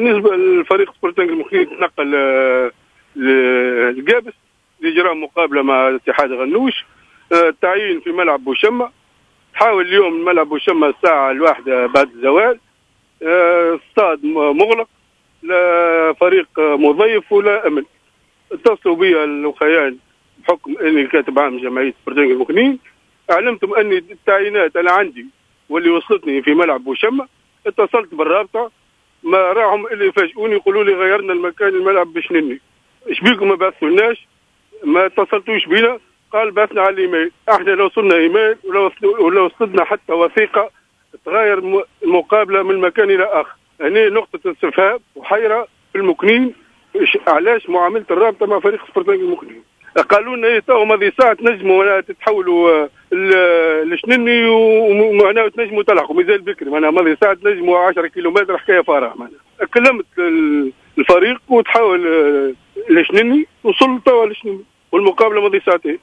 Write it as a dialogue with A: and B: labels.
A: بالنسبة للفريق سبورتنج المكنين تنقل للقابس لاجراء مقابله مع اتحاد غنوش. التعيين في ملعب بوشمه، تحاول اليوم ملعب بوشمه الساعة 1 بعد الزوال. استاد مغلق، لا فريق مضيف ولا امن. اتصلوا بي الوخيان بحكم اني كاتب عام جمعية سبورتنج المكنين، اعلمتهم اني التعيينات انا عندي واللي وصلتني في ملعب بوشمه. اتصلت بالرابطه، ما راهم اللي يفاجئوني يقولوا لي غيرنا المكان الملعب بشنني. ايش بيكم ما بعثتولناش؟ ما اتصلتوش بينا؟ قال بعثنا على الايميل. احنا لو وصلنا ايميل ولا وصلنا حتى وثيقة تغير المقابلة من مكان الى اخر. هنا نقطة استفهام وحيرة في المكنين، علاش معاملة الرابطة مع فريق سبورتنج المكنين؟ قالوا لنا ايه تو ماضي ساعة تنجموا تتحولوا لشنني ومعناها تنجموا تلحقوا، مازال بكري معناها ماضي ساعة تنجموا 10 كيلومتر حكاية فارغة. معناها كلمت الفريق وتحاول لشنني، وصل توا لشنني والمقابلة ماضي ساعتين.